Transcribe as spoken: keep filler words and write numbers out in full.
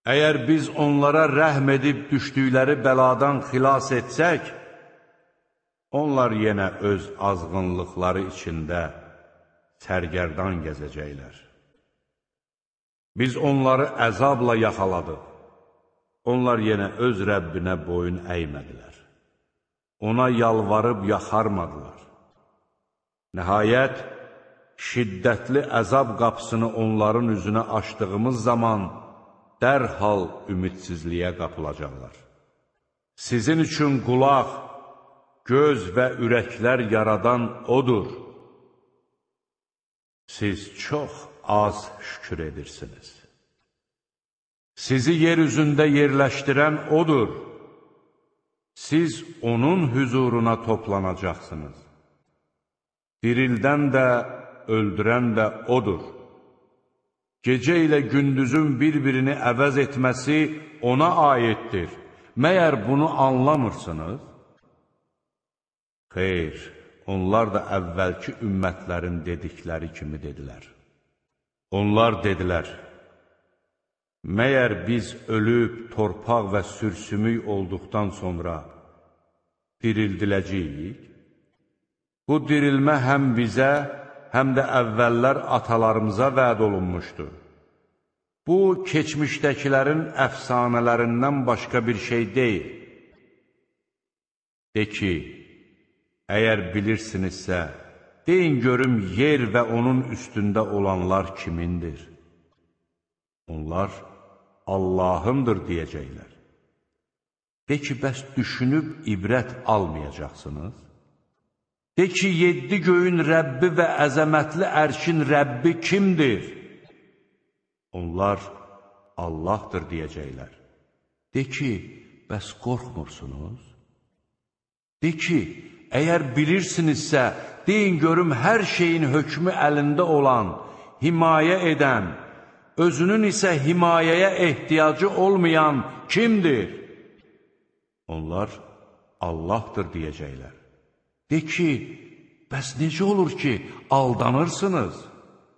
Əgər biz onlara rəhm edib düşdükləri bəladan xilas etsək, onlar yenə öz azğınlıqları içində sərgərdan gəzəcəklər. Biz onları əzabla yaxaladıq. Onlar yenə öz Rəbbinə boyun əymədilər. Ona yalvarıb yaxarmadılar. Nəhayət, şiddətli əzab qapısını onların üzünə açdığımız zaman dərhal ümidsizliyə qapılacaqlar. Sizin üçün qulaq, göz və ürəklər yaradan O'dur. Siz çox az şükür edirsiniz. Sizi yer üzündə yerləşdirən O'dur. Siz O'nun hüzuruna toplanacaqsınız. Dirildən də, öldürən də O'dur. Gecə ilə gündüzün bir-birini əvəz etməsi O'na aiddir. Məyər bunu anlamırsınız? Xeyr, onlar da əvvəlki ümmətlərin dedikləri kimi dedilər. Onlar dedilər, məyər biz ölüb, torpaq və sürsümük olduqdan sonra dirildiləcəyik? Bu dirilmə həm bizə, həm də əvvəllər atalarımıza vəd olunmuşdu. Bu, keçmişdəkilərin əfsanələrindən başqa bir şey deyil. De ki, əgər bilirsinizsə, deyin görüm yer və onun üstündə olanlar kimindir? Onlar Allahındır deyəcəklər. De ki, bəs düşünüb ibrət almayacaqsınız? De ki, yeddi göyün Rəbbi və əzəmətli ərşin Rəbbi kimdir? Onlar Allahdır deyəcəklər. De ki, bəs qorxmursunuz? De ki, əgər bilirsinizsə, deyin görüm hər şeyin hökmü əlində olan, himayə edən, özünün isə himayəyə ehtiyacı olmayan kimdir? Onlar Allahdır deyəcəklər. De ki, bəs necə olur ki, aldanırsınız?